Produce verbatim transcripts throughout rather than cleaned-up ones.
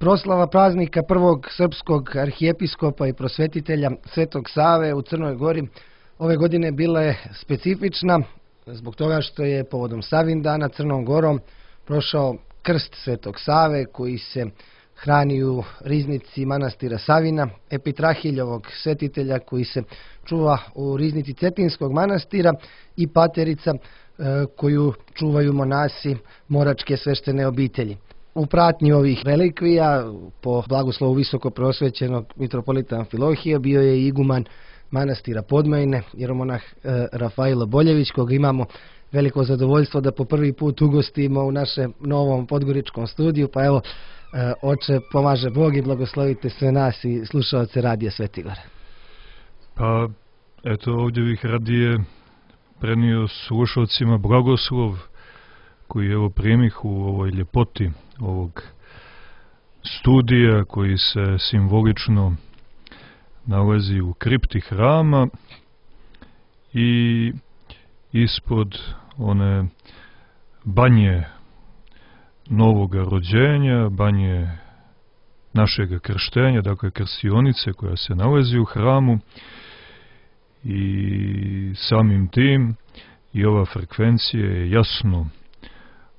Proslava praznika prvog srpskog arhijepiskopa i prosvetitelja Svetog Save u Crnoj Gori ove godine bila je specifična zbog toga što je povodom Savindana Crnom Gorom prošao krst Svetog Save koji se hrani u riznici manastira Savina, Epitrahiljovog svetitelja koji se čuva u riznici Cetinskog manastira i paterica koju čuvaju monasi Moračke sveštene obitelji. U pratnji ovih relikvija, po blagoslovu visoko prosvećenog mitropolita Amfilohija, bio je iguman manastira Podmajine, jeromonah Rafailo Boljević, koga imamo veliko zadovoljstvo da po prvi put ugostimo u našem novom podgoričkom studiju. Pa evo, oče, pomaže Bog i blagoslovite sve nas i slušaoce Radija Svetigor. Pa, eto, ovdje bih radije prenio slušalcima blagoslov koji evo primih u ovoj ljepoti ovog studija koji se simbolično nalazi u kripti hrama i ispod one banje novoga rođenja, banje našega krštenja, dakle krstionice koja se nalazi u hramu, i samim tim i ova frekvencija je jasno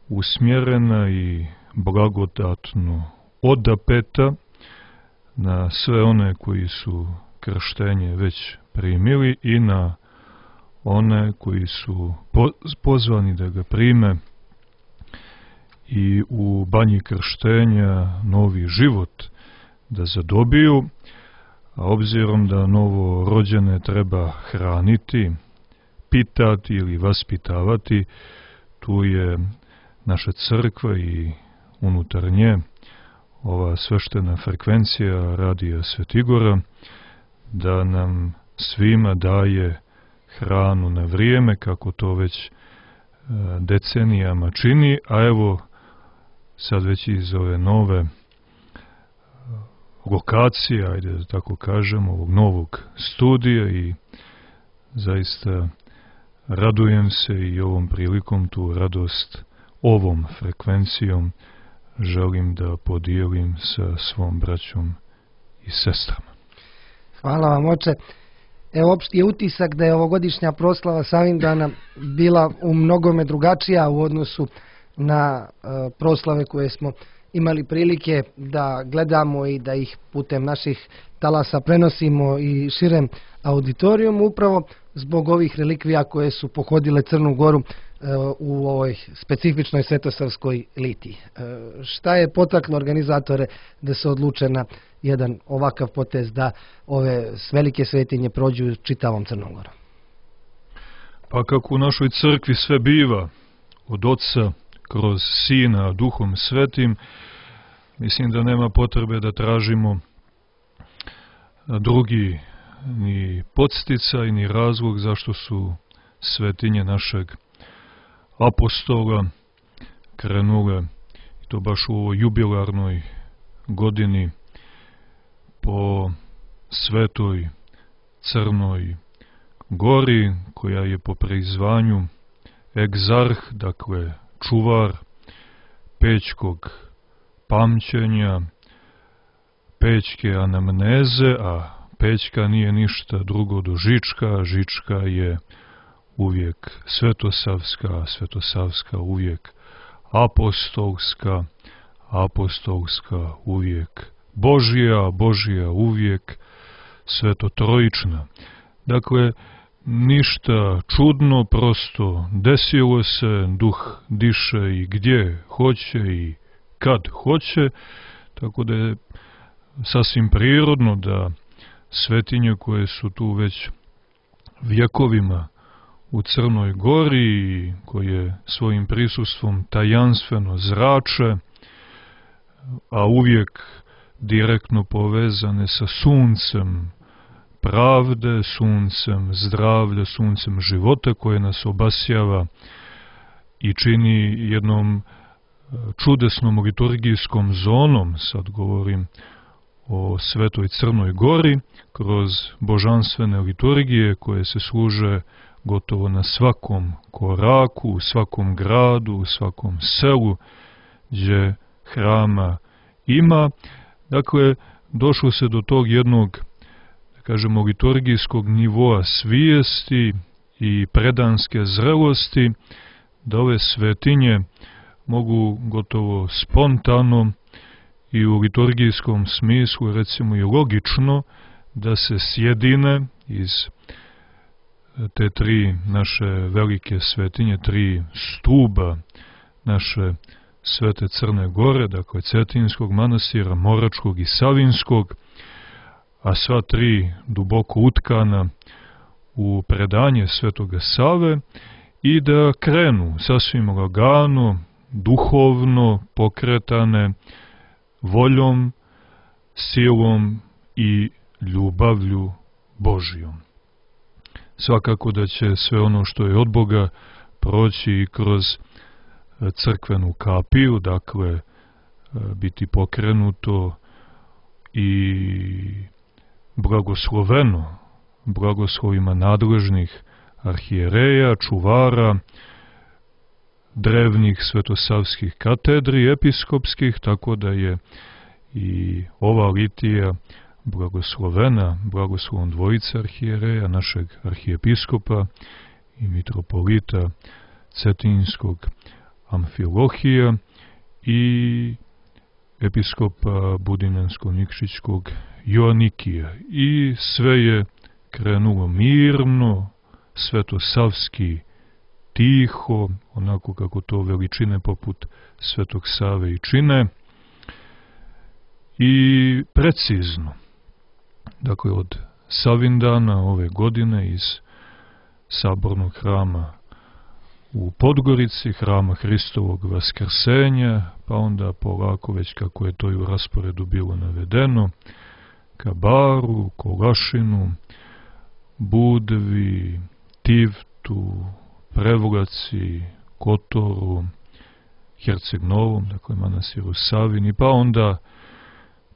usmjerena i blagodatno odapeta na sve one koji su krštenje već primili i na one koji su pozvani da ga prime i u banji krštenja novi život da zadobiju, a obzirom da novo rođene treba hraniti, pitati ili vaspitavati, tu je naša crkva i unutar nje ova sveštena frekvencija Radija Svetigora da nam svima daje hranu na vrijeme, kako to već decenijama čini, a evo sad već iz ove nove lokacije, ajde da tako kažem, ovog novog studija, i zaista radujem se i ovom prilikom tu radost ovom frekvencijom želim da podijelim sa svom braćom i sestrama. Hvala vam, oče. Evo, opšti je utisak da je ovogodišnja proslava Savindana bila u mnogome drugačija u odnosu na uh, proslave koje smo imali prilike da gledamo i da ih putem naših talasa prenosimo i širem auditorijum, upravo zbog ovih relikvija koje su pohodile Crnu Goru uh, u ovoj specifičnoj svetosavskoj litiji. Uh, šta je potaklo organizatore da se odluče na jedan ovakav potez da ove velike svetinje prođu čitavom Crnom Gorom? Pa kako u našoj crkvi sve biva od Oca kroz Sina Duhom Svetim, mislim da nema potrebe da tražimo drugi ni podsticaj ni razlog zašto su svetinje našeg apostola krenule, i to baš u ovoj jubilarnoj godini, po svetoj Crnoj Gori, koja je po prizvanju egzarh, dakle čuvar pećkog pamćenja, pećke anamneze, a pećka nije ništa drugo do Žička, Žička je uvijek svetosavska, svetosavska uvijek apostolska, apostolska uvijek Božija, Božija uvijek svetotrojična. Dakle, ništa čudno, prosto desilo se, duh diše i gdje hoće i kad hoće, tako da je sasvim prirodno da svetinje koje su tu već vjekovima u Crnoj Gori, koje svojim prisustvom tajanstveno zrače, a uvijek direktno povezane sa suncem pravde, suncem zdravlja, suncem života koje nas obasjava i čini jednom čudesnom liturgijskom zonom, sad govorim o Svetoj Crnoj Gori, kroz božanstvene liturgije koje se služe gotovo na svakom koraku, u svakom gradu, u svakom selu, gdje hrama ima. Dakle, došlo se do tog jednog, da kažemo, liturgijskog nivoa svijesti i predanske zrelosti, da ove svetinje mogu gotovo spontano i u liturgijskom smislu, recimo i logično, da se sjedine iz te tri naše velike svetinje, tri stuba naše Svete Crne Gore, dakle Cetinskog manastira, Moračkog i Savinskog, a sva tri duboko utkana u predanje Svetoga Save, i da krenu sasvim lagano, duhovno pokretane voljom, silom i ljubavlju Božijom. Svakako da će sve ono što je od Boga proći i kroz crkvenu kapiju, dakle biti pokrenuto i blagosloveno blagoslovima nadležnih arhijereja, čuvara, drevnih svetosavskih katedri, episkopskih, tako da je i ova litija blagoslovena blagoslovom dvojice arhijereja, našeg arhijepiskopa i mitropolita Cetinskog Amfilohija i episkopa Budinansko-Nikšićkog Joanikija. I sve je krenulo mirno, svetosavski, tiho, onako kako to veličine poput Svetog Save i čine, i precizno. Dakle, od Savindana ove godine iz sabornog hrama u Podgorici, hrama Hristovog Vaskrsenja, pa onda polako, već kako je to i u rasporedu bilo navedeno, ka Baru, Kolašinu, Budvi, Tivtu, Prevlaci, Kotoru, Herceg Novom, dakle manastiru Savini, pa onda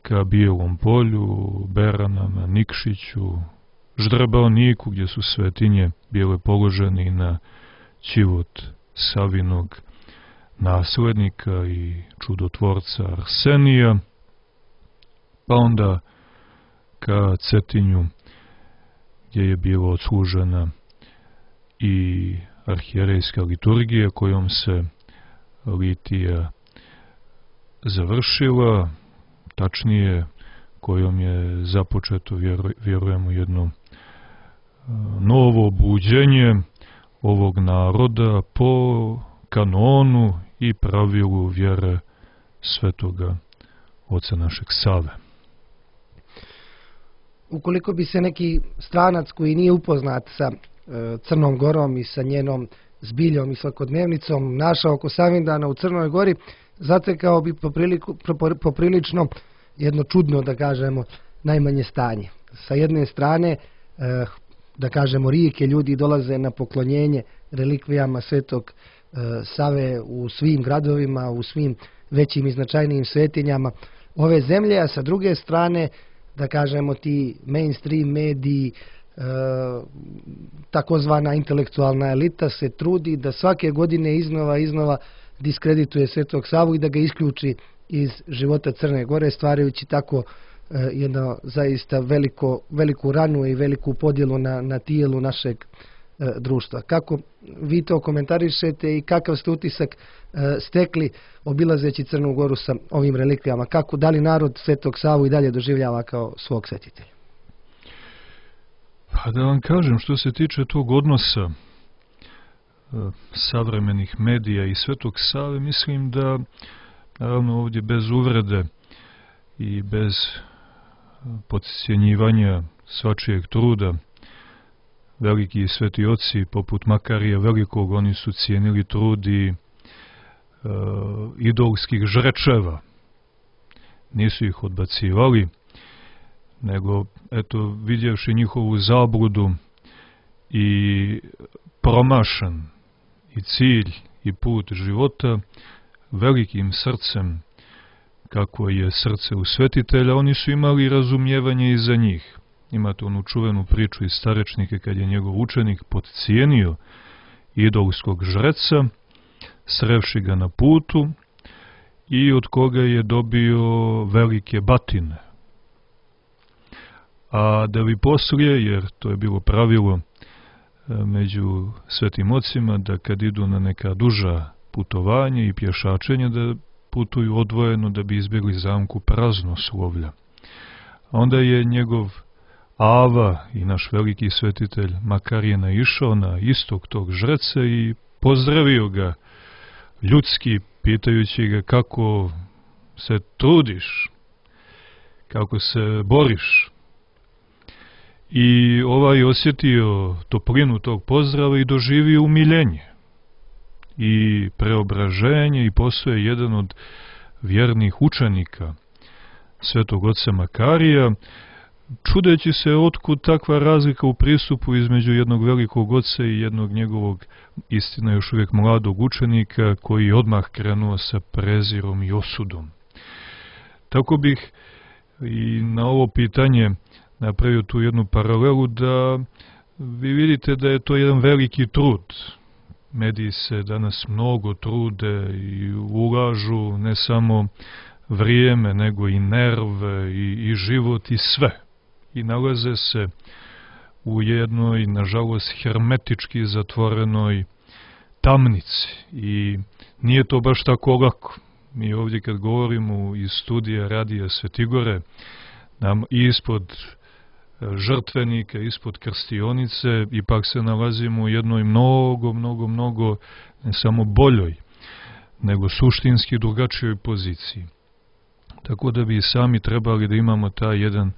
ka Bijelom Polju, Beranama, Nikšiću, Ždrbaoniku, gdje su svetinje bile položeni na ćivot Savinog naslednika i čudotvorca Arsenija, pa onda ka Cetinju, gdje je bilo odslužena i arhijerejska liturgija kojom se litija završila, tačnije kojom je započeto, vjerujemo, jedno novo buđenje ovog naroda po kanonu i pravilu vjere svetoga oca našeg Save. Ukoliko bi se neki stranac koji nije upoznat sa e, Crnom Gorom i sa njenom zbiljom i svakodnevnicom našao oko Savindana u Crnoj Gori, zatekao bi popriliku, poprilično jedno čudno, da kažemo, najmanje stanje. Sa jedne strane, e, da kažemo, rijeke ljudi dolaze na poklonjenje relikvijama Svetog e, Save u svim gradovima, u svim većim i značajnijim svetinjama ove zemlje, a sa druge strane, da kažemo, ti mainstream mediji, e, takozvana intelektualna elita se trudi da svake godine iznova iznova diskredituje Svetog Savu i da ga isključi iz života Crne Gore, stvarajući tako e, jedno zaista veliko, veliku ranu i veliku podjelu na, na tijelu našeg e, društva. Kako vi to komentarišete i kakav ste utisak e, stekli obilazeći Crnu Goru sa ovim relikvijama? Kako, da li narod Svetog Savu i dalje doživljava kao svog svetitelja? Pa da vam kažem, što se tiče tog odnosa e, savremenih medija i Svetog Save, mislim da, naravno, ovdje bez uvrede i bez podcjenjivanja svačijeg truda, veliki sveti oci poput Makarija Velikog, oni su cijenili trud i e, idolskih žrečeva. Nisu ih odbacivali, nego, eto, vidjevši njihovu zabludu i promašan i cilj i put života, velikim srcem, kako je srce u svetitelja, oni su imali razumijevanje i za njih. Imate onu čuvenu priču iz Starečnike, kad je njegov učenik podcijenio idolskog žreca, srevši ga na putu i od koga je dobio velike batine. A da bi poslije, jer to je bilo pravilo među svetim ocima, da kad idu na neka duža putovanja i pješačenja, da putuju odvojeno da bi izbjegli zamku praznoslovlja. A onda je njegov Ava i naš veliki svetitelj Makarije naišao na istog tog žreca i pozdravio ga ljudski, pitajući ga kako se trudiš, kako se boriš. I ovaj osjetio toplinu tog pozdrava i doživio umiljenje i preobraženje i postao je jedan od vjernih učenika svetog oca Makarija, čudeći se otkud takva razlika u pristupu između jednog velikog oca i jednog njegovog, istina još uvijek mladog učenika, koji odmah krenuo sa prezirom i osudom. Tako bih i na ovo pitanje napravio tu jednu paralelu, da vi vidite da je to jedan veliki trud. Mediji se danas mnogo trude i ulažu ne samo vrijeme, nego i nerve i, i život i sve. I nalaze se u jednoj, nažalost, hermetički zatvorenoj tamnici. I nije to baš tako lako. Mi ovdje kad govorimo iz studija Radija Svetigore, nam ispod žrtvenika, ispod krstionice, ipak se nalazimo u jednoj mnogo, mnogo, mnogo, ne samo boljoj, nego suštinski drugačijoj poziciji. Tako da bi sami trebali da imamo taj jedan,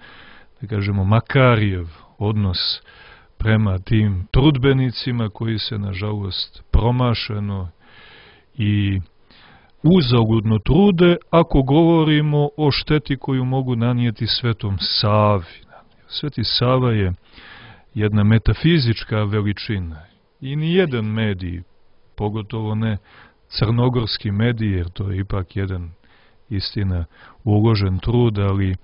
da kažemo, Makarijev odnos prema tim trudbenicima koji se, nažalost, promašeno i uzaludno trude, ako govorimo o šteti koju mogu nanijeti Svetom Savi. Sveti Sava je jedna metafizička veličina i ni jedan medij, pogotovo ne crnogorski medij, jer to je ipak jedan, istina, uložen trud, ali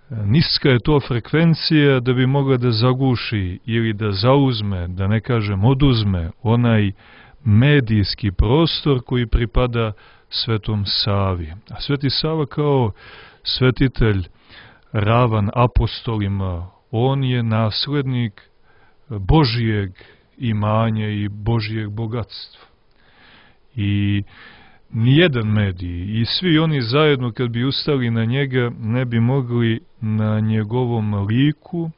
niska je to frekvencija da bi mogla da zaguši ili da zauzme, da ne kažem oduzme, onaj medijski prostor koji pripada Svetom Savi. A Sveti Sava kao svetitelj ravan apostolima, on je naslednik Božijeg imanja i Božijeg bogatstva. I nijedan medij i svi oni zajedno kad bi ustali na njega ne bi mogli na njegovom liku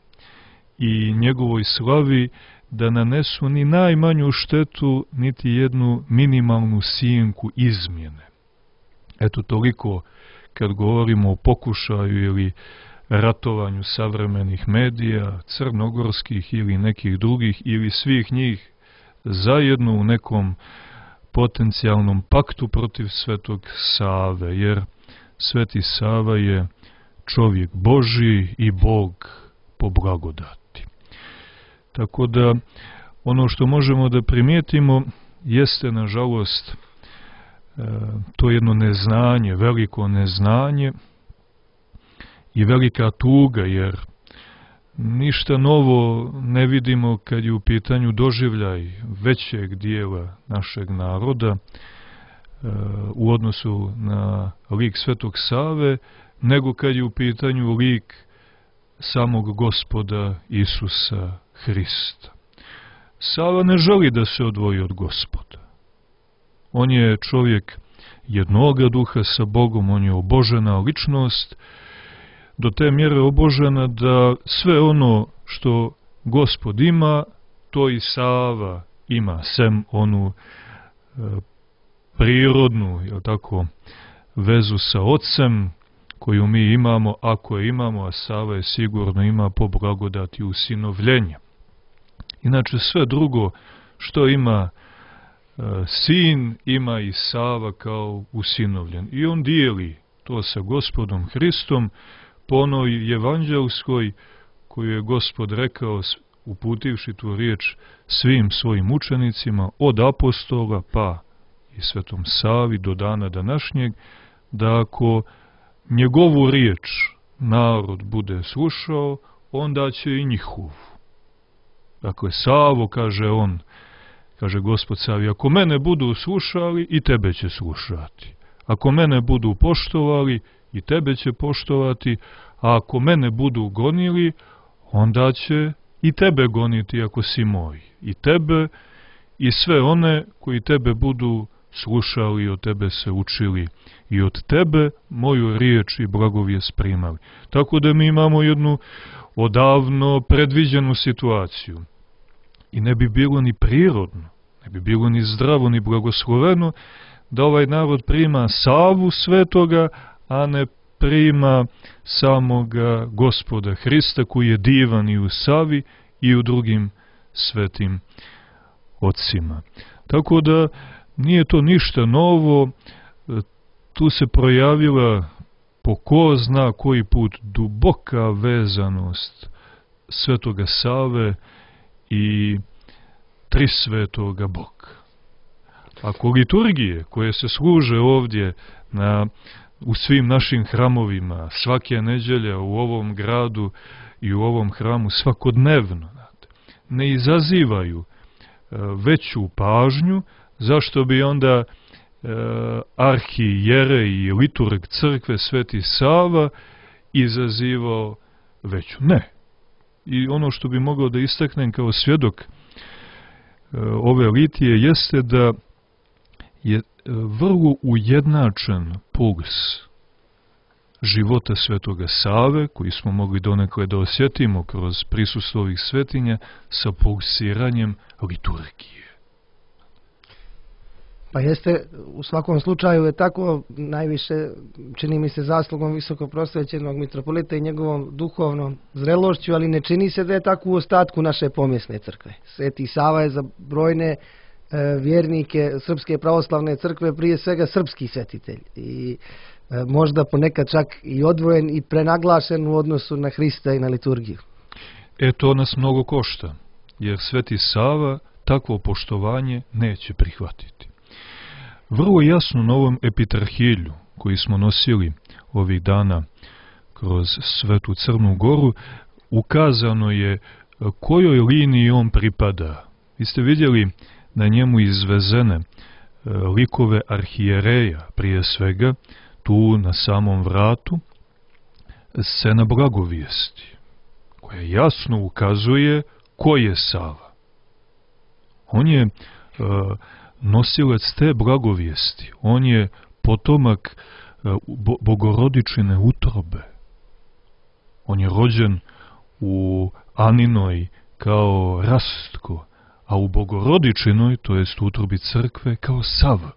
i njegovoj slavi da nanesu ni najmanju štetu, niti jednu minimalnu sjenku izmjene. Eto toliko kad govorimo o pokušaju ili ratovanju savremenih medija, crnogorskih ili nekih drugih, ili svih njih zajedno u nekom potencijalnom paktu protiv Svetog Save, jer Sveti Sava je čovjek Božji i Bog po blagodati. Tako da ono što možemo da primijetimo jeste, nažalost, to jedno neznanje, veliko neznanje i velika tuga, jer ništa novo ne vidimo kad je u pitanju doživljaj većeg dijela našeg naroda u odnosu na lik Svetog Save, nego kad je u pitanju lik samog Gospoda Isusa Hrista. Sava ne želi da se odvoji od Gospoda. On je čovjek jednoga duha sa Bogom, on je obožena ličnost, do te mjere obožena da sve ono što Gospod ima, to i Sava ima, sem onu e, prirodnu, jel tako, vezu sa Otcem, koju mi imamo, ako je imamo, a Sava je sigurno ima po blagodati usinovljenja. Inače sve drugo što ima e, sin, ima i Sava kao usinovljen. I on dijeli to sa Gospodom Hristom po onoj evanđelskoj koju je Gospod rekao, uputivši tu riječ svim svojim učenicima, od apostola pa i Svetom Savi do dana današnjeg, da ako njegovu riječ narod bude slušao, onda će i njihovu. Dakle, Savo, kaže on, kaže Gospod Savi, ako mene budu slušali, i tebe će slušati. Ako mene budu poštovali, i tebe će poštovati, a ako mene budu gonili, onda će i tebe goniti ako si moj. I tebe i sve one koji tebe budu slušali i od tebe se učili i od tebe moju riječ i blagovijest primali. Tako da mi imamo jednu odavno predviđenu situaciju. I ne bi bilo ni prirodno, ne bi bilo ni zdravo, ni blagosloveno da ovaj narod prima Savu Svetoga, a ne prima samoga Gospoda Hrista, koji je divan i u Savi i u drugim svetim ocima. Tako da nije to ništa novo, tu se projavila po ko zna koji put duboka vezanost Svetoga Save i Trisvetoga Boga. Ako liturgije koje se služe ovdje na, u svim našim hramovima, svake neđelje u ovom gradu i u ovom hramu svakodnevno, ne izazivaju veću pažnju, zašto bi onda e, arhijerej i liturg crkve Sveti Sava izazivao veću? Ne. I ono što bi mogao da istaknem kao svjedok e, ove litije jeste da je vrlo ujednačen puls života Svetoga Save, koji smo mogli donekle da osjetimo kroz prisustvo ovih svetinja, sa pulsiranjem liturgije. Pa jeste, u svakom slučaju je tako, najviše čini mi se zaslugom visokoprosvećenog mitropolita i njegovom duhovnom zrelošću, ali ne čini se da je tako u ostatku naše pomjesne crkve. Sveti Sava je za brojne e, vjernike Srpske pravoslavne crkve prije svega srpski svetitelj i e, možda ponekad čak i odvojen i prenaglašen u odnosu na Hrista i na liturgiju. E, to nas mnogo košta, jer Sveti Sava takvo poštovanje neće prihvatiti. Vrlo jasno na ovom epitrahilju koji smo nosili ovih dana kroz Svetu Crnu Goru ukazano je kojoj liniji on pripada. Vi ste vidjeli na njemu izvezene likove arhijereja, prije svega tu na samom vratu scena blagovijesti, koja jasno ukazuje ko je Sava. On je uh, nosilac te blagovijesti, on je potomak uh, Bogorodičine utrobe. On je rođen u Aninoj kao Rastko, a u Bogorodičinoj, to jest u utrobi crkve, kao Sava.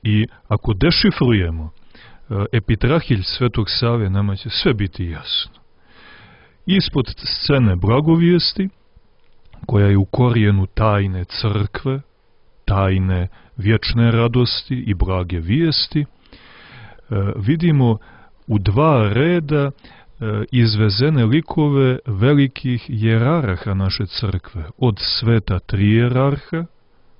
I ako dešifrujemo uh, epitrahilj Svetog Save, nama će sve biti jasno. Ispod scene blagovijesti, koja je u korijenu tajne crkve, tajne vječne radosti i blage vijesti, vidimo u dva reda izvezene likove velikih jerarha naše crkve, od sveta trijerarha,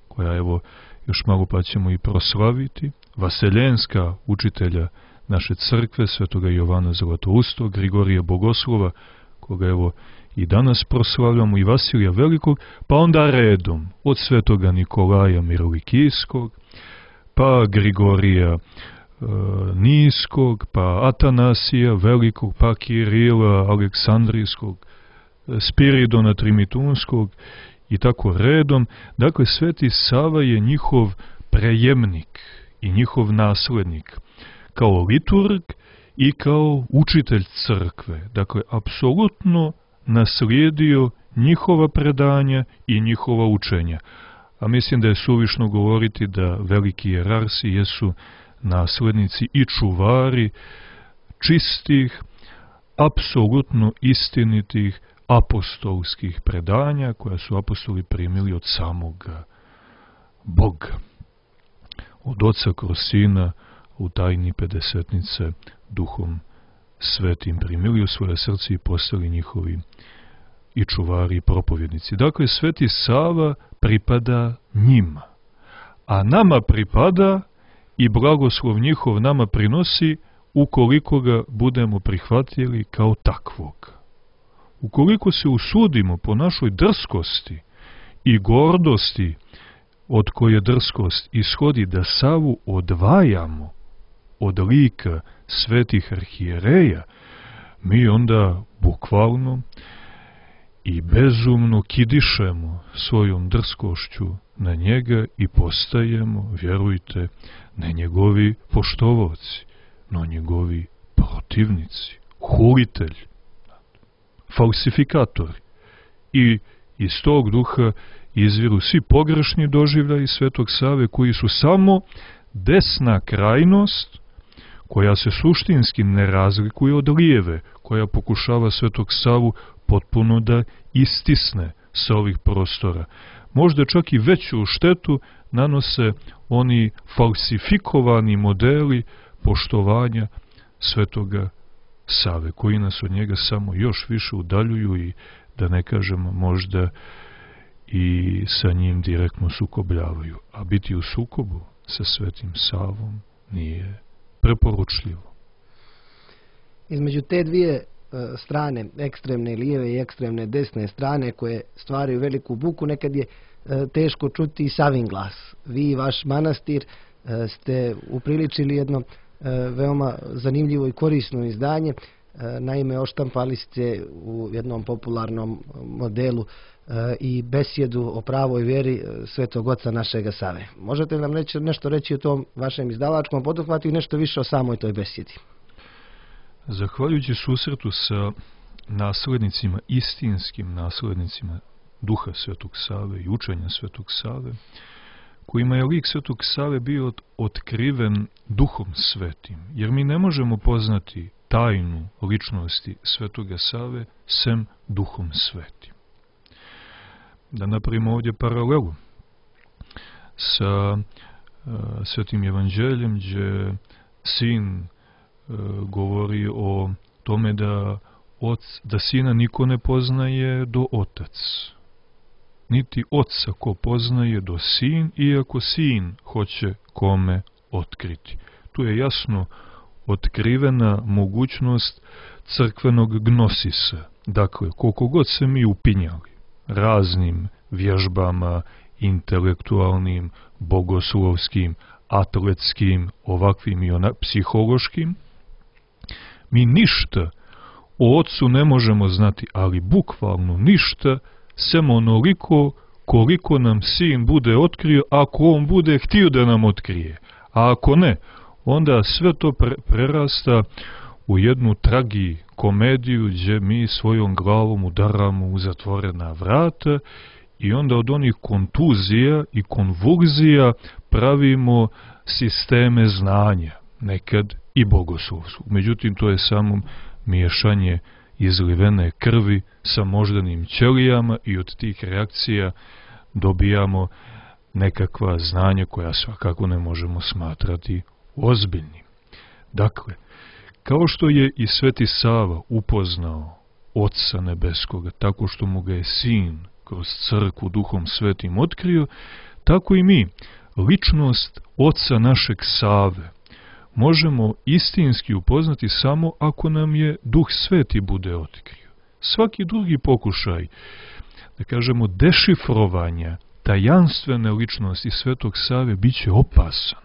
koja evo još malo pa ćemo i proslaviti, vaseljenska učitelja naše crkve, svetoga Jovana Zlatoustog, Grigorija Bogoslova, koga evo i danas proslavljamo, i Vasilija Velikog, pa onda redom od svetoga Nikolaja Mirovikijskog, pa Grigorija e, Niskog, pa Atanasija Velikog, pa Kirila Aleksandrijskog, Spiridona Trimitunskog i tako redom. Dakle, Sveti Sava je njihov prejemnik i njihov naslednik, kao liturg i kao učitelj crkve. Dakle, apsolutno naslijedio njihova predanja i njihova učenja. A mislim da je suvišno govoriti da veliki jerarsi jesu naslednici i čuvari čistih, apsolutno istinitih apostolskih predanja koja su apostoli primili od samoga Boga. Od Oca kroz Sina u tajni pedesetnice Duhom Svetim primili u svoje srce i postali njihovi i čuvari i propovjednici. Dakle, Sveti Sava pripada njima, a nama pripada i blagoslov njihov nama prinosi ukoliko ga budemo prihvatili kao takvog. Ukoliko se usudimo po našoj drskosti i gordosti od koje drskost ishodi da Savu odvajamo od lika svetih arhijereja, mi onda bukvalno i bezumno kidišemo svojom drskošću na njega i postajemo, vjerujte, ne njegovi poštovaoci, no njegovi protivnici, hulitelji, falsifikatori. I iz tog duha izviru svi pogrešni doživljaji Svetog Save, koji su samo desna krajnost koja se suštinski ne razlikuje od lijeve, koja pokušava Svetog Savu potpuno da istisne sa ovih prostora. Možda čak i veću štetu nanose oni falsifikovani modeli poštovanja Svetoga Save, koji nas od njega samo još više udaljuju i, da ne kažemo, možda i sa njim direktno sukobljavaju. A biti u sukobu sa Svetim Savom nije preporučljivo. Između te dvije strane, ekstremne lijeve i ekstremne desne strane, koje stvaraju veliku buku, nekad je teško čuti i Savin glas. Vi i vaš manastir ste upriličili jedno veoma zanimljivo i korisno izdanje. Naime, oštampali ste u jednom popularnom modelu i besjedu o pravoj vjeri Svetog Oca našega Save. Možete li nam reći, nešto reći o tom vašem izdavačkom poduhvatu i nešto više o samoj toj besjedi? Zahvaljujući susretu sa naslednicima, istinskim naslednicima duha Svetog Save i učenja Svetog Save, kojima je lik Svetog Save bio otkriven duhom svetim, jer mi ne možemo poznati tajnu ličnosti Svetoga Save sem duhom svetim. Da napravimo ovdje paralelu sa uh, Svetim Evanđeljem, gdje sin uh, govori o tome da, oc, da sina niko ne poznaje do otac. Niti oca ko poznaje do sin, iako sin hoće kome otkriti. Tu je jasno otkrivena mogućnost crkvenog gnosisa. Dakle, koliko god se mi upinjali raznim vježbama, intelektualnim, bogoslovskim, atletskim, ovakvim i onak, psihološkim, mi ništa o Otcu ne možemo znati, ali bukvalno ništa, sem onoliko koliko nam sin bude otkrio, ako on bude htio da nam otkrije. A ako ne, onda sve to pre prerasta u jednu tragi komediju gdje mi svojom glavom udaramo u zatvorena vrata i onda od onih kontuzija i konvulzija pravimo sisteme znanja, nekad i bogoslovskog. Međutim, to je samo miješanje izlivene krvi sa moždanim ćelijama i od tih reakcija dobijamo nekakva znanja koja svakako ne možemo smatrati ozbiljnim. Dakle, kao što je i Sveti Sava upoznao Oca Nebeskoga, tako što mu ga je Sin kroz crkvu Duhom Svetim otkrio, tako i mi ličnost Oca našeg Save možemo istinski upoznati samo ako nam je Duh Sveti bude otkrio. Svaki drugi pokušaj, da kažemo, dešifrovanja tajanstvene ličnosti Svetog Save bit će opasan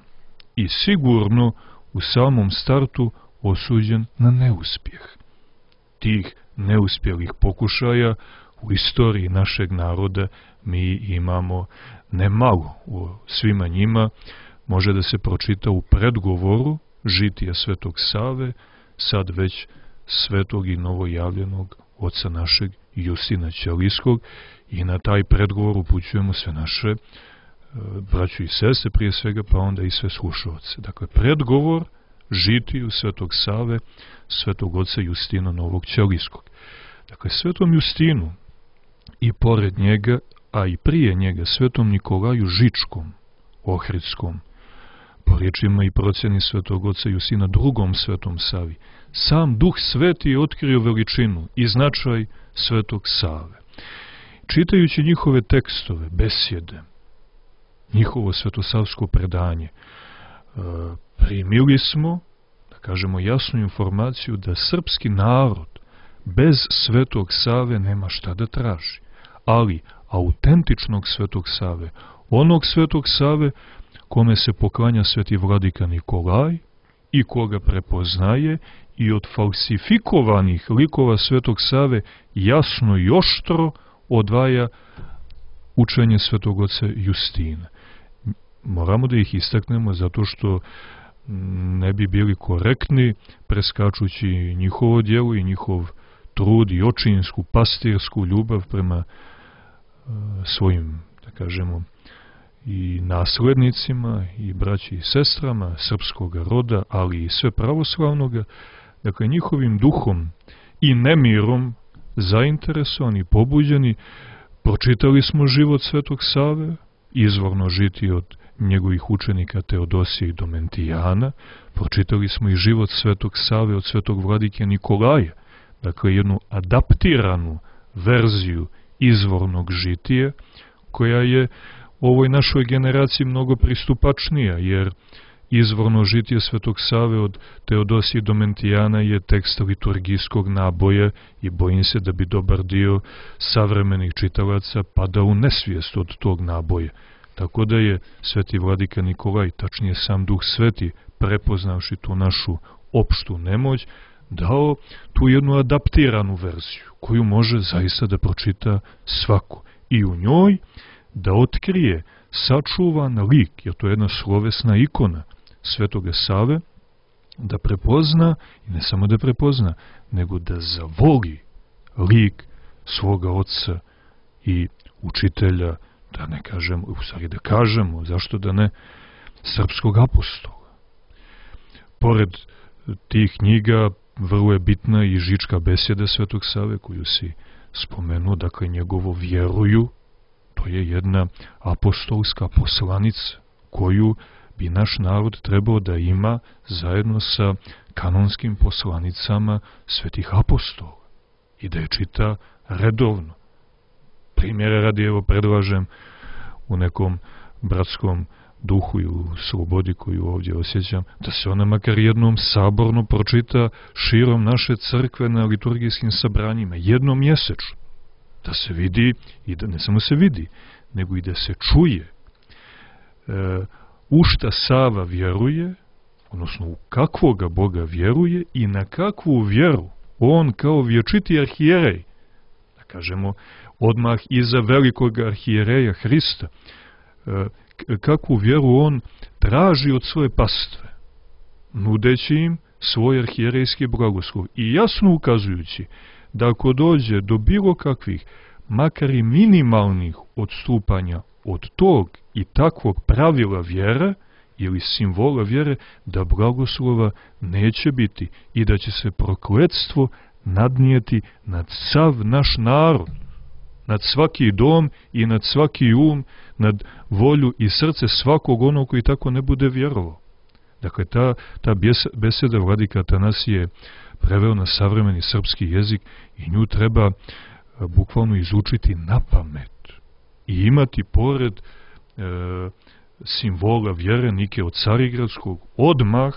i sigurno u samom startu osuđen na neuspjeh. Tih neuspjelih pokušaja u istoriji našeg naroda mi imamo nemalo. U svima njima može da se pročita u predgovoru žitija Svetog Save, sad već svetog i novojavljenog oca našeg Justina Ćelijskog, i na taj predgovor upućujemo sve naše e, braću i sestre prije svega, pa onda i sve slušalce. Dakle, predgovor žitiju Svetog Save, svetog oca Justina Novog Ćelijskog. Dakle, svetom Justinu i pored njega, a i prije njega svetom Nikolaju Žičkom, Ohridskom, po riječima i procjeni svetog oca Justina drugom svetom Savi, sam Duh Sveti je otkrio veličinu i značaj Svetog Save. Čitajući njihove tekstove, besjede, njihovo svetosavsko predanje, primili smo, da kažemo, jasnu informaciju da srpski narod bez Svetog Save nema šta da traži. Ali autentičnog Svetog Save, onog Svetog Save kome se poklanja sveti vladika Nikolaj i koga prepoznaje i od falsifikovanih likova Svetog Save jasno i oštro odvaja učenje Svetog oca Justina. Moramo da ih istaknemo zato što ne bi bili korektni preskačući njihovo djelo i njihov trud i očinsku, pastirsku ljubav prema uh, svojim, da kažemo, i naslednicima i braći i sestrama srpskog roda, ali i sve pravoslavnoga. Dakle, njihovim duhom i nemirom zainteresovani, pobuđeni, pročitali smo život Svetog Save, izvorno žiti od njegovih učenika Teodosija i Domentijana, pročitali smo i život Svetog Save od Svetog vladike Nikolaja, dakle jednu adaptiranu verziju izvornog žitija, koja je ovoj našoj generaciji mnogo pristupačnija, jer izvorno žitije Svetog Save od Teodosije i Domentijana je tekst liturgijskog naboja i bojim se da bi dobar dio savremenih čitalaca padao u nesvijest od tog naboja. Tako da je sveti vladika Nikolaj, tačnije sam Duh Sveti, prepoznavši tu našu opštu nemoć, dao tu jednu adaptiranu verziju, koju može zaista da pročita svako. I u njoj da otkrije sačuvan lik, jer to je jedna slovesna ikona Svetoga Save, da prepozna, i ne samo da prepozna, nego da zavoli lik svoga oca i učitelja, da ne kažemo, u stvari da kažemo, zašto da ne, srpskog apostola. Pored tih knjiga, vrlo je bitna i Žička besjeda Svetog Save, koju si spomenuo, dakle njegovo vjeruju, to je jedna apostolska poslanica, koju bi naš narod trebao da ima zajedno sa kanonskim poslanicama svetih apostola i da je čita redovno. Primjere radi, evo, predlažem u nekom bratskom duhu i u slobodi koju ovdje osjećam, da se ona makar jednom saborno pročita širom naše crkve na liturgijskim sabranjima, jednom mjesečno, da se vidi i da ne samo se vidi, nego i da se čuje e, u šta Sava vjeruje, odnosno u kakvoga Boga vjeruje i na kakvu vjeru on kao vječiti arhijerej, da kažemo odmah iza velikog arhijereja Hrista, e, kakvu vjeru on traži od svoje pastve, nudeći im svoj arhijerejski blagoslov i jasno ukazujući da ako dođe do bilo kakvih, makar i minimalnih odstupanja od tog i takvog pravila vjere ili simbola vjere, da blagoslova neće biti i da će se prokletstvo nadnijeti nad sav naš narod, nad svaki dom i nad svaki um, nad volju i srce svakog onog koji tako ne bude vjerovao. Dakle, ta, ta beseda vladika Atanasije preveo na savremeni srpski jezik i nju treba bukvalno izučiti na pamet i imati pored e, simbola vjere Nike od Carigradskog odmah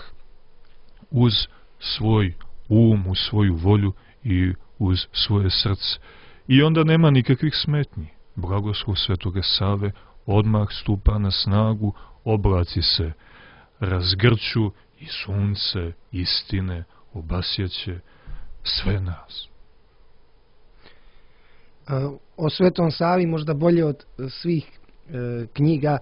uz svoj um, uz svoju volju i uz svoje srce. I onda nema nikakvih smetnji. Blagoslov Svetoga Save odmah stupa na snagu, oblaci se razgrću i sunce istine obasjaće sve nas. O Svetom Savi možda bolje od svih e, knjiga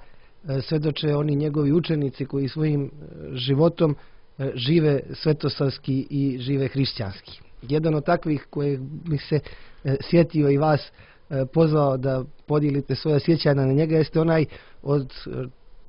e, svedoče oni njegovi učenici koji svojim e, životom e, žive svetosavski i žive hrišćanski. Jedan od takvih koje bi se e, sjetio i vas e, pozvao da podijelite svoja sjećanja na njega jeste onaj od e,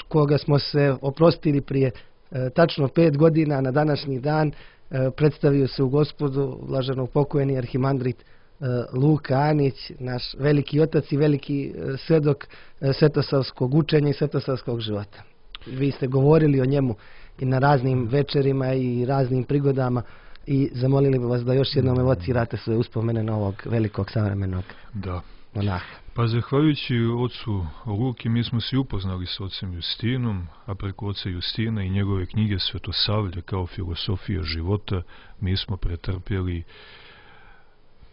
koga smo se oprostili prije e, tačno pet godina na današnji dan. E, predstavio se u Gospodu blaženog pokojeni arhimandrit e, Luka Anić, naš veliki otac i veliki e, svjedok e, svetosavskog učenja i svetosavskog života. Vi ste govorili o njemu i na raznim večerima i raznim prigodama i zamolili bi vas da još jednom evocirate svoje uspomene na ovog velikog savremenog da. monaha. Pa zahvaljujući ocu Luki mi smo se upoznali s ocem Justinom, a preko oca Justina i njegove knjige Svetosavlje kao filosofija života mi smo pretrpjeli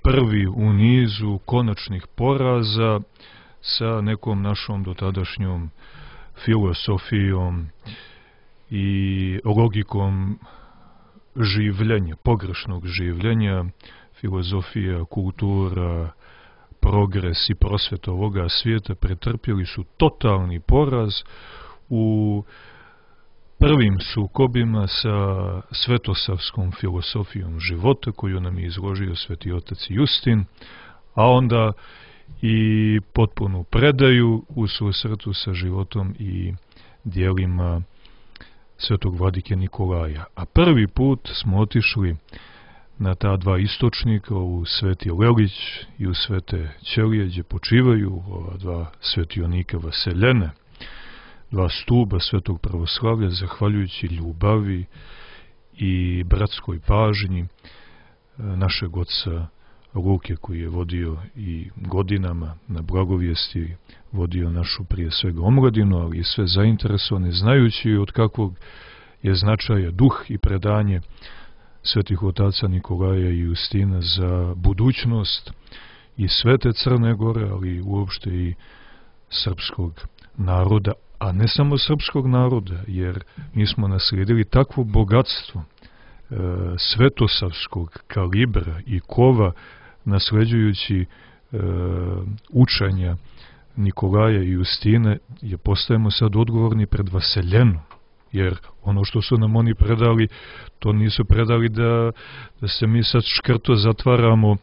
prvi u nizu konačnih poraza sa nekom našom dotadašnjom filosofijom i logikom življenja, pogrešnog življenja, filozofija, kultura, progres i prosveta ovoga svijeta pretrpjeli su totalni poraz u prvim sukobima sa svetosavskom filosofijom života koju nam je izložio sveti otac Justin, a onda i potpunu predaju u susretu sa životom i dijelima svetog vladike Nikolaja. A prvi put smo otišli na ta dva istočnika, u Sveti Lelić i u Svete Ćelije, gdje počivaju ova dva svetionika vaseljene, dva stuba svetog pravoslavlja, zahvaljujući ljubavi i bratskoj pažnji našeg oca Luke, koji je vodio i godinama na blagovijesti, vodio našu prije svega omladinu, ali i sve zainteresovane, znajući od kakvog je značaja duh i predanje svetih otaca Nikolaja i Justina za budućnost i svete Crne Gore, ali uopšte i srpskog naroda, a ne samo srpskog naroda, jer mi smo naslijedili takvo bogatstvo e, svetosavskog kalibra i kova, nasleđujući e, učenja Nikolaja i Justina, je postajemo sad odgovorni pred vaseljenom. Jer ono što su nam oni predali, to nisu predali da, da se mi sad škrto zatvaramo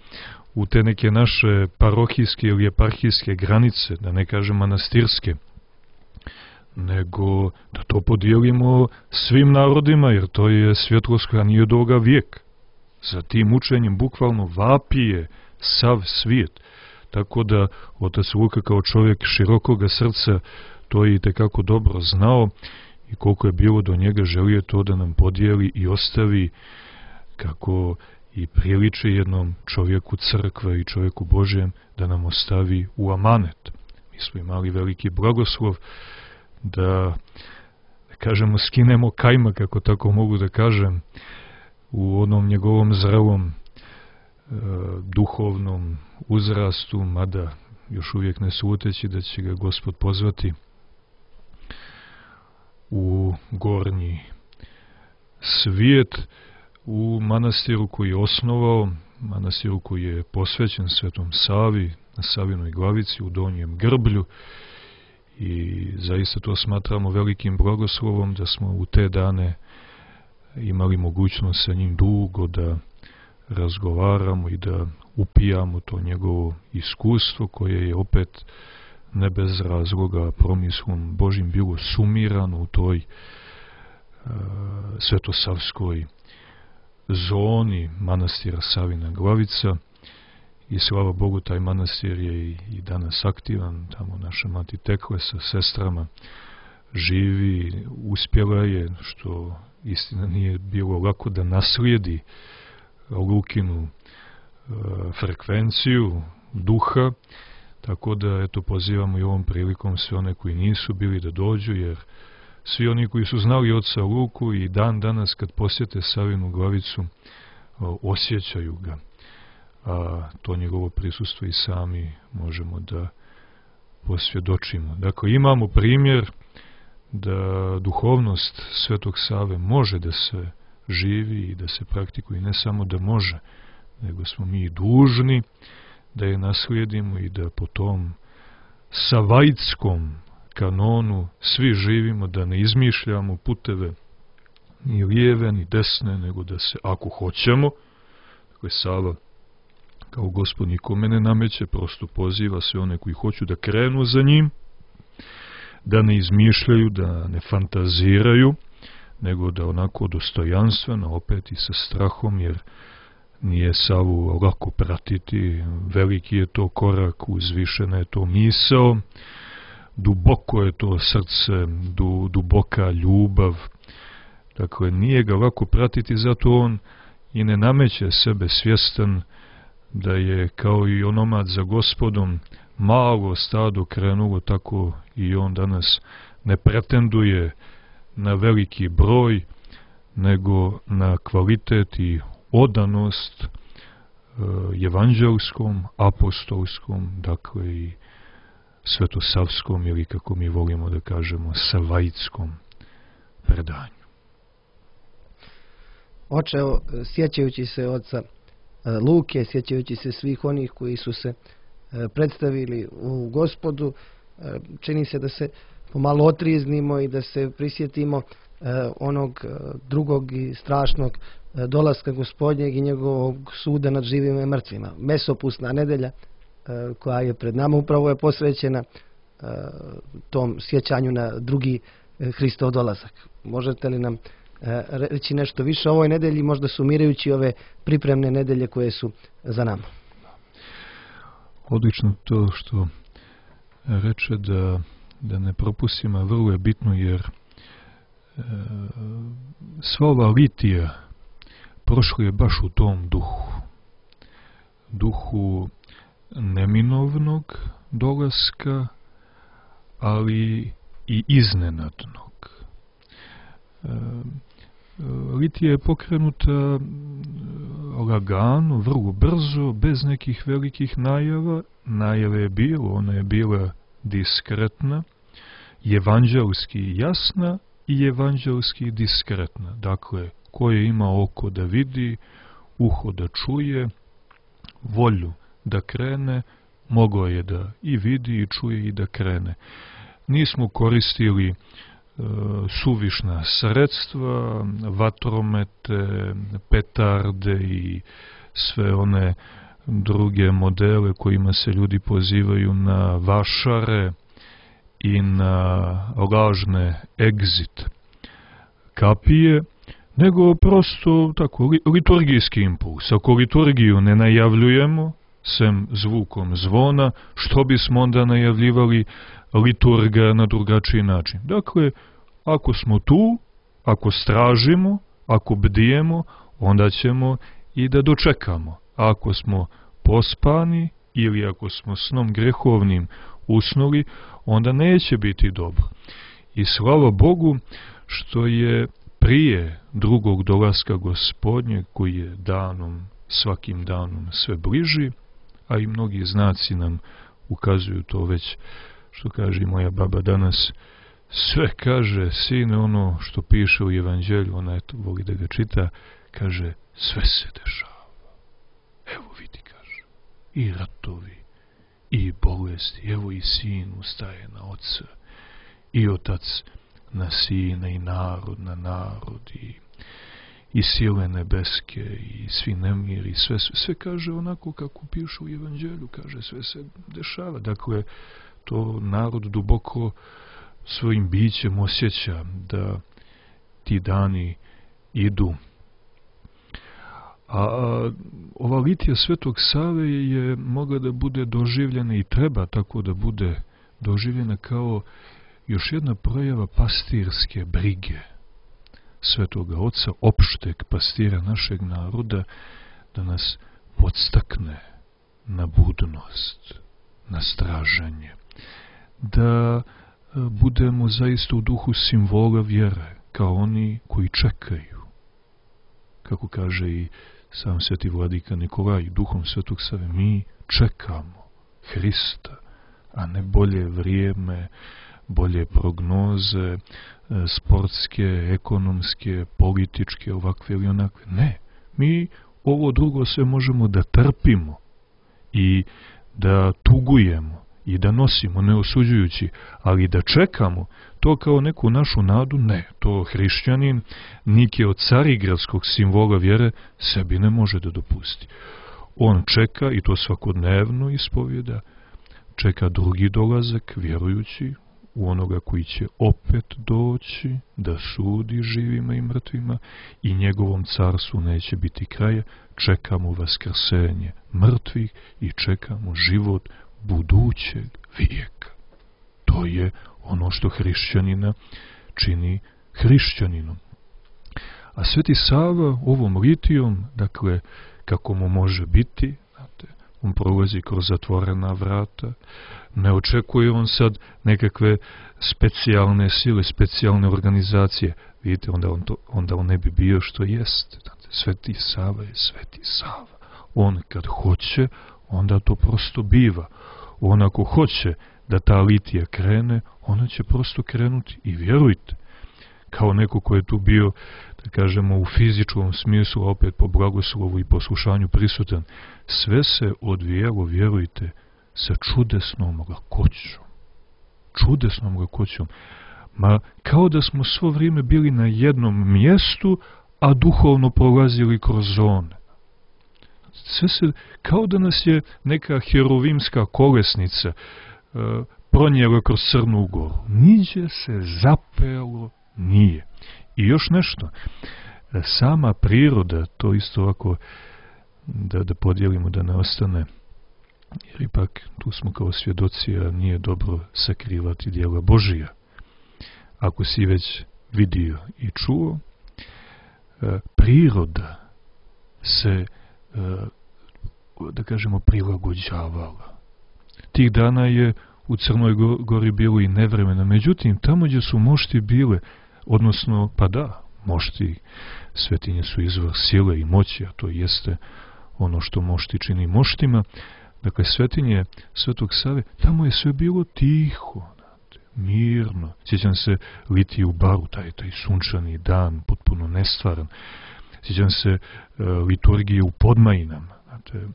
u te neke naše parohijske ili eparhijske granice, da ne kažem manastirske, nego da to podijelimo svim narodima, jer to je svjetlost koja nije od ovoga vijeka. Za tim učenjem bukvalno vapije sav svijet. Tako da otac Luka kao čovjek širokoga srca to je i tekako dobro znao i koliko je bilo do njega, želio to da nam podijeli i ostavi kako i priliči jednom čovjeku crkve i čovjeku Božjem, da nam ostavi u amanet. Mi smo imali veliki blagoslov da, da kažemo, skinemo kajmak, kako tako mogu da kažem, u onom njegovom zrelom e, duhovnom uzrastu, mada još uvijek ne sluteći da će ga Gospod pozvati u gornji svijet, u manastiru koji je osnovao, manastiru koji je posvećen Svetom Savi, na Savinoj glavici, u Donjem Grblju, i zaista to smatramo velikim blagoslovom da smo u te dane imali mogućnost sa njim dugo da razgovaramo i da upijamo to njegovo iskustvo, koje je opet ne bez razloga promislom Božim bilo sumirano u toj uh, svetosavskoj zoni manastira Savina Glavica. I slava Bogu, taj manastir je i, i danas aktivan. Tamo naša mati Tekle sa sestrama živi, uspjela je, što istina nije bilo lako, da naslijedi Lukinu e, frekvenciju duha, tako da eto pozivamo i ovom prilikom sve one koji nisu bili da dođu, jer svi oni koji su znali oca Luku i dan danas kad posjete Savinu Glavicu o, osjećaju ga, a to njegovo prisustvo i sami možemo da posvjedočimo. Dakle, imamo primjer da duhovnost Svetog Save može da se živi i da se praktikuje, ne samo da može, nego smo mi dužni da je naslijedimo i da po tom savajtskom kanonu svi živimo, da ne izmišljamo puteve ni lijeve ni desne, nego da se, ako hoćemo, dakle Sava kao Gospod nikome ne nameće, prosto poziva sve one koji hoću da krenu za njim, da ne izmišljaju, da ne fantaziraju, nego da onako dostojanstveno, opet i sa strahom, jer nije Savu lako pratiti, veliki je to korak, uzvišena je to misao, duboko je to srce, du, duboka ljubav, dakle nije ga lako pratiti, zato on i ne nameće sebe, svjestan da je kao i onomad za Gospodom malo stado krenulo, tako i on danas ne pretenduje na veliki broj, nego na kvalitet i odanost e, evanđelskom, apostolskom, dakle i svetosavskom ili, kako mi volimo da kažemo, savajitskom predanju. Oče, evo, sjećajući se oca Luke, sjećajući se svih onih koji su se predstavili u Gospodu, čini se da se pomalo otrijeznimo i da se prisjetimo onog drugog i strašnog dolaska Gospodnjeg i njegovog suda nad živima i mrtvima. Mesopusna nedelja koja je pred nama upravo je posvećena tom sjećanju na drugi Hristov dolazak. Možete li nam reći nešto više o ovoj nedelji, možda sumirajući ove pripremne nedelje koje su za nama? Odlično to što reče da, da ne propustimo, a vrlo je bitno, jer e, sva ova litija prošla je baš u tom duhu. Duhu neminovnog dolaska, ali i iznenadnog. E, litija je pokrenuta lagano, vrlo brzo, bez nekih velikih najava. Najave je bilo, ona je bila diskretna, evanđelski jasna i evanđelski diskretna. Dakle, ko je ima oko da vidi, uho da čuje, volju da krene, mogao je da i vidi i čuje i da krene. Nismo koristili e, suvišna sredstva, vatromete, petarde i sve one druge modele kojima se ljudi pozivaju na vašare i na lažne exit kapije, nego prosto tako liturgijski impuls. Ako liturgiju ne najavljujemo, sem zvukom zvona, što bismo onda najavljivali liturga na drugačiji način? Dakle, ako smo tu, ako stražimo, ako bdijemo, onda ćemo i da dočekamo. Ako smo pospani ili ako smo snom grehovnim usnuli, onda neće biti dobro. I slava Bogu što je prije drugog dolaska Gospodnje, koji je danom, svakim danom sve bliži, a i mnogi znaci nam ukazuju to već, što kaže moja baba danas, sve kaže, sine, ono što piše u evanđelju, ona eto, voli da ga čita, kaže, sve se dešava. Evo vidi, kaže, i ratovi, i bolesti, evo i sin ustaje na oca, i otac na sina, i narod na narod, i, i sile nebeske, i svi nemiri, sve, sve, sve kaže onako kako piše u evanđelju, kaže, sve se dešava. Dakle, to narod duboko svojim bićem osjeća da ti dani idu. A ova litija Svetog Save je mogla da bude doživljena i treba tako da bude doživljena kao još jedna projava pastirske brige Svetoga Oca, opšteg pastira našeg naroda, da nas podstakne na budnost, na straženje, da budemo zaista u duhu simbola vjere, kao oni koji čekaju. Kako kaže i sam sveti vladika Nikolaj, duhom Svetog Save, mi čekamo Hrista, a ne bolje vrijeme, bolje prognoze, sportske, ekonomske, političke, ovakve ili onakve. Ne, mi ovo drugo sve možemo da trpimo i da tugujemo i da nosimo, ne osuđujući, ali da čekamo to kao neku našu nadu, ne. To hrišćanin, niki od carigradskog simbola vjere, sebi ne može da dopusti. On čeka, i to svakodnevno ispovjeda, čeka drugi dolazak, vjerujući u onoga koji će opet doći da sudi živima i mrtvima, i njegovom carstvu neće biti kraja. Čekamo vaskrsenje mrtvih i čekamo život budućeg vijeka. To je ono što hrišćanina čini hrišćaninom. A Sveti Sava ovom litijom, dakle, kako mu može biti, znate, on prolazi kroz zatvorena vrata, ne očekuje on sad nekakve specijalne sile, specijalne organizacije. Vidite, onda on, to, onda on ne bi bio što jest. Znate, Sveti Sava je Sveti Sava. On kad hoće, onda to prosto biva. on ako hoće da ta litija krene, ona će prosto krenuti i vjerujte. Kao neko ko je tu bio, da kažemo, u fizičkom smislu, opet po blagoslovu i poslušanju prisutan, sve se odvijelo, vjerujte, sa čudesnom lakoćom. Čudesnom lakoćom. Ma kao da smo svo vrijeme bili na jednom mjestu, a duhovno prolazili kroz zone. Sve se, kao da nas je neka herovimska kolesnica e, pronijela kroz Crnu Goru. Niđe se zapelo nije. I još nešto, sama priroda, to isto ovako da, da podijelimo, da ne ostane, jer ipak tu smo kao svjedoci, a nije dobro sakrivati djela Božija. Ako si već vidio i čuo, priroda se, da kažemo, prilagođavala. Tih dana je u Crnoj Gori bilo i nevremena, međutim, tamo gdje su mošti bile, odnosno, pa da, mošti, svetinje su izvor sile i moći, a to jeste ono što mošti čini moštima. Dakle, svetinje Svetog Save, tamo je sve bilo tiho, mirno. Sjećam se litije u baru, taj, taj sunčani dan, potpuno nestvaran. Sjećam se uh, liturgije u Podmajinama, znate,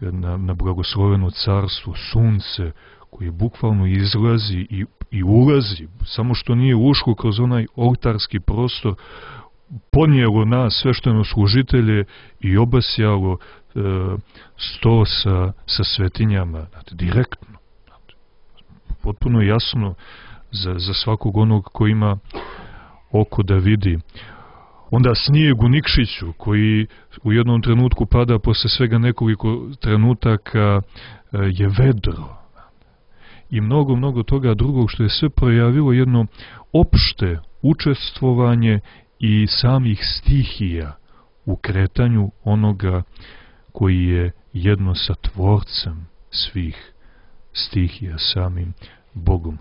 na, na blagosloveno carstvo, sunce, koje bukvalno izlazi i, i ulazi, samo što nije ušlo kroz onaj oltarski prostor, ponijelo nas sveštenoslужitelje i obasjalo e, sto sa, sa svetinjama, znate, direktno. Znate, potpuno jasno za, za svakog onog ko ima oko da vidi. Onda snijeg u Nikšiću, koji u jednom trenutku pada, posle svega nekoliko trenutaka e, je vedro. I mnogo, mnogo toga drugog, što je sve projavilo jedno opšte učestvovanje i samih stihija u kretanju onoga koji je jedno sa tvorcem svih stihija, samim Bogom.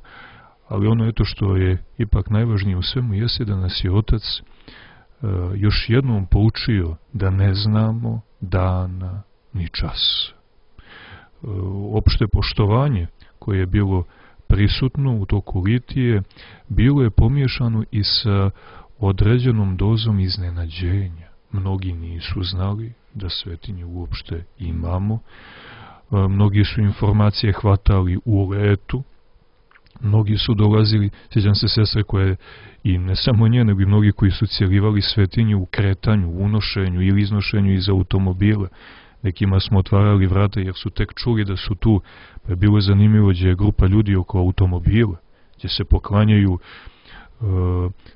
Ali ono eto što je ipak najvažnije u svemu jeste da nas je Otac uh, još jednom poučio da ne znamo dana ni čas. Uh, opšte poštovanje koje je bilo prisutno u toku litije, bilo je pomiješano i sa određenom dozom iznenađenja. Mnogi nisu znali da svetinje uopšte imamo, mnogi su informacije hvatali u letu, mnogi su dolazili, sjećam se sestre koje, i ne samo nje, nego i mnogi koji su cijelivali svetinje u kretanju, unošenju ili iznošenju iz automobila. Nekima smo otvarali vrata jer su tek čuli da su tu, pa je bilo zanimljivo gdje je grupa ljudi oko automobila, gdje se poklanjaju e,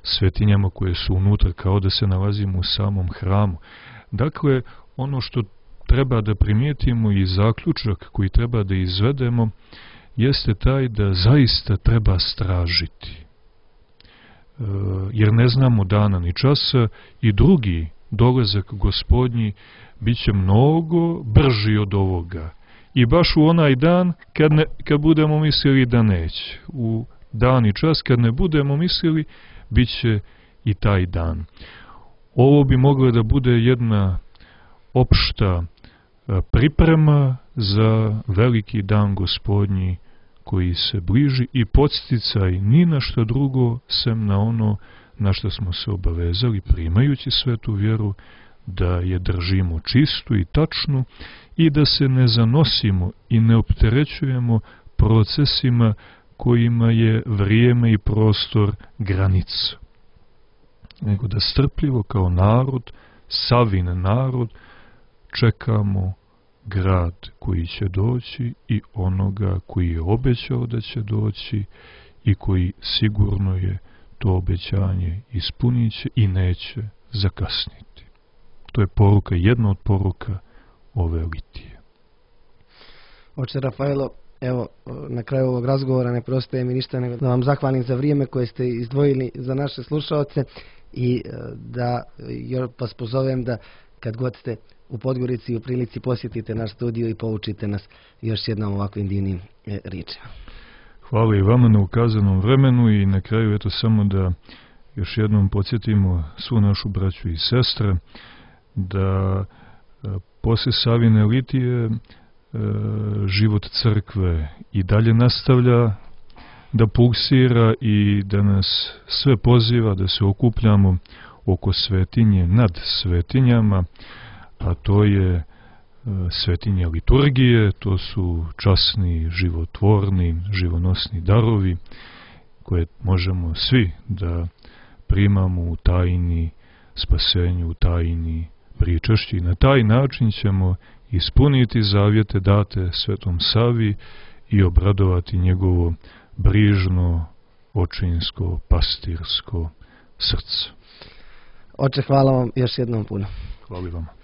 svetinjama koje su unutra, kao da se nalazimo u samom hramu. Dakle, ono što treba da primijetimo i zaključak koji treba da izvedemo, jeste taj da zaista treba stražiti. E, jer ne znamo dana ni časa i drugi dolazak Gospodnji bit će mnogo brži od ovoga. I baš u onaj dan kad, ne, kad budemo mislili da neće. U dan i čas kad ne budemo mislili, bit će i taj dan. Ovo bi mogla da bude jedna opšta priprema za veliki dan Gospodnji koji se bliži i podsticaj ni na što drugo sem na ono na što smo se obavezali primajući svetu vjeru, da je držimo čistu i tačnu i da se ne zanosimo i ne opterećujemo procesima kojima je vrijeme i prostor granica. Nego da strpljivo kao narod, Savin narod, čekamo grad koji će doći i onoga koji je obećao da će doći i koji sigurno je to obećanje ispunit će i neće zakasniti. To je poruka, jedna od poruka ove litije. Oče Rafaelo, evo, na kraju ovog razgovora ne preostaje mi ništa nego da vam zahvalim za vrijeme koje ste izdvojili za naše slušaoce i da vas pozovem da kad god ste u Podgorici i u prilici posjetite naš studio i poučite nas još jednom ovakvim divnim e, riječima. Hvala i vama na ukazanom vremenu i na kraju eto samo da još jednom podsjetimo svu našu braću i sestre da e, posle Savine litije e, život crkve i dalje nastavlja da pulsira i da nas sve poziva da se okupljamo oko svetinje nad svetinjama, a to je svetinja liturgije, to su časni, životvorni, živonosni darovi koje možemo svi da primamo u tajni spasenju, u tajni pričašći. Na taj način ćemo ispuniti zavjete date Svetom Savi i obradovati njegovo brižno, očinsko, pastirsko srce. Oče, hvala vam još jednom puno. Hvala vam.